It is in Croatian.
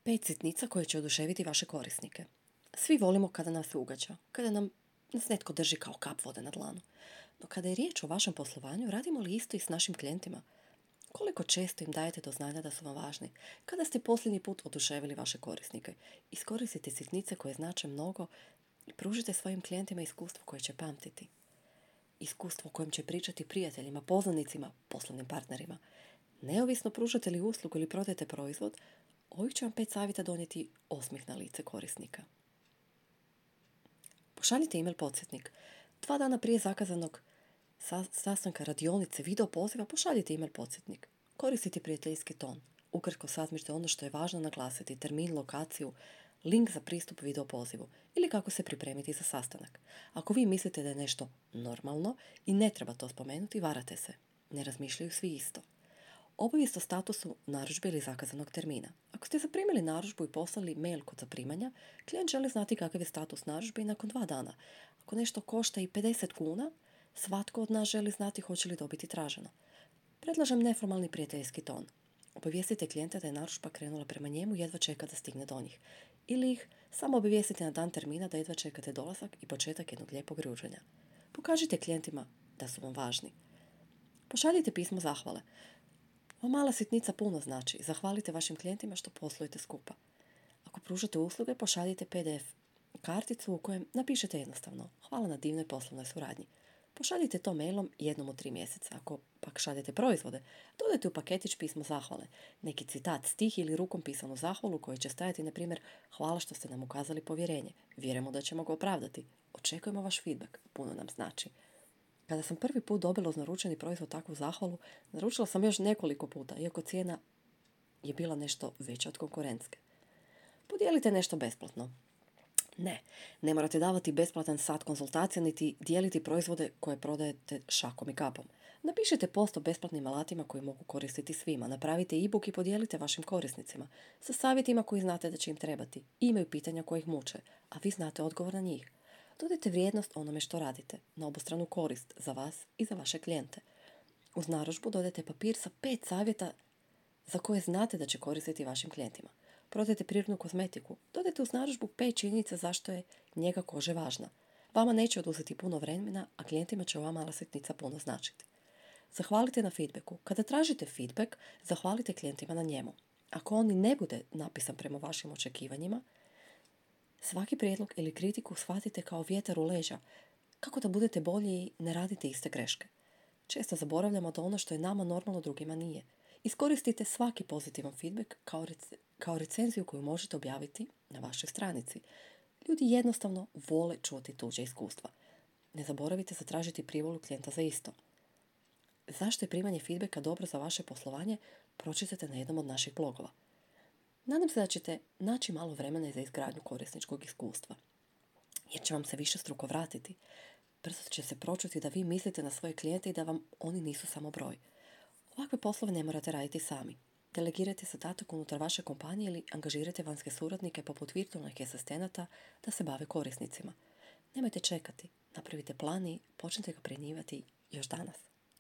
5 sitnica koje će oduševiti vaše korisnike. Svi volimo kada nas se ugađa, kada nas netko drži kao kap vode na dlanu. No kada je riječ o vašem poslovanju, radimo li isto i s našim klijentima? Koliko često im dajete do znanja da su vam važni? Kada ste posljednji put oduševili vaše korisnike? Iskoristite sitnice koje znače mnogo i pružite svojim klijentima iskustvo koje će pamtiti. Iskustvo o kojem će pričati prijateljima, poznanicima, poslovnim partnerima. Neovisno pružate li uslugu ili prodajete proizvod, ovih će vam 5 savjeta donijeti osmih na lice korisnika. Pošaljite email podsjetnik. 2 dana prije zakazanog sastanka, radionice, video poziva, pošaljite email podsjetnik. Koristite prijateljski ton. Ukratko sažmite ono što je važno naglasiti, termin, lokaciju, link za pristup video pozivu ili kako se pripremiti za sastanak. Ako vi mislite da je nešto normalno i ne treba to spomenuti, varate se. Ne razmišljaju svi isto. Obavijest o statusu narudžbe ili zakazanog termina. Ako ste zaprimili narudžbu i poslali mail kod zaprimanja, klijent želi znati kakav je status narudžbe i nakon 2 dana. Ako nešto košta i 50 kuna, svatko od nas želi znati hoće li dobiti traženo. Predlažem neformalni prijateljski ton. Obavijestite klijenta da je narudžba krenula prema njemu i jedva čeka da stigne do njih. Ili ih samo obavijestite na dan termina da jedva čekate dolazak i početak jednog lijepog ručanja. Pokažite klijentima da su vam važni. Pošaljite pismo zahvale. Ova mala sitnica puno znači. Zahvalite vašim klijentima što poslujete skupa. Ako pružate usluge, pošaljite PDF karticu u kojem napišete jednostavno hvala na divnoj poslovnoj suradnji. Pošaljite to mailom jednom u 3 mjeseca. Ako pak šaljete proizvode, dodajte u paketić pismo zahvale. Neki citat, stih ili rukom pisanu zahvalu koji će stajati, na primjer, hvala što ste nam ukazali povjerenje. Vjerujemo da ćemo ga opravdati. Očekujemo vaš feedback. Puno nam znači. Kada sam prvi put dobila uz naručeni proizvod takvu zahvalu, naručila sam još nekoliko puta, iako cijena je bila nešto veća od konkurentske. Podijelite nešto besplatno. Ne morate davati besplatan sat konzultacija niti dijeliti proizvode koje prodajete šakom i kapom. Napišite post o besplatnim alatima koji mogu koristiti svima. Napravite e-book i podijelite vašim korisnicima sa savjetima koji znate da će im trebati. Imaju pitanja koje ih muče, a vi znate odgovor na njih. Dodajte vrijednost onome što radite, na obostranu korist za vas i za vaše klijente. Uz narudžbu dodajte papir sa 5 savjeta za koje znate da će koristiti vašim klijentima. Prodajte prirodnu kozmetiku. Dodajte uz narudžbu 5 činjenica zašto je njega kože važna. Vama neće oduzeti puno vremena, a klijentima će ova mala sitnica puno značiti. Zahvalite na feedbacku. Kada tražite feedback, zahvalite klijentima na njemu. Ako on ne bude napisan prema vašim očekivanjima, svaki prijedlog ili kritiku shvatite kao vjetar u leđa, kako da budete bolji i ne radite iste greške. Često zaboravljamo da ono što je nama normalno drugima nije. Iskoristite svaki pozitivan feedback kao recenziju koju možete objaviti na vašoj stranici. Ljudi jednostavno vole čuti tuđe iskustva. Ne zaboravite zatražiti privolu klijenta za isto. Zašto je primanje feedbacka dobro za vaše poslovanje? Pročitajte na jednom od naših blogova. Nadam se da ćete naći malo vremena za izgradnju korisničkog iskustva, jer će vam se višestruko vratiti. Brzo će se pročuti da vi mislite na svoje klijente i da vam oni nisu samo broj. Ovakve poslove ne morate raditi sami. Delegirajte zadatak unutar vaše kompanije ili angažirajte vanjske suradnike poput virtualnih asistenata da se bave korisnicima. Nemojte čekati, napravite plan i počnite ga primjenjivati još danas.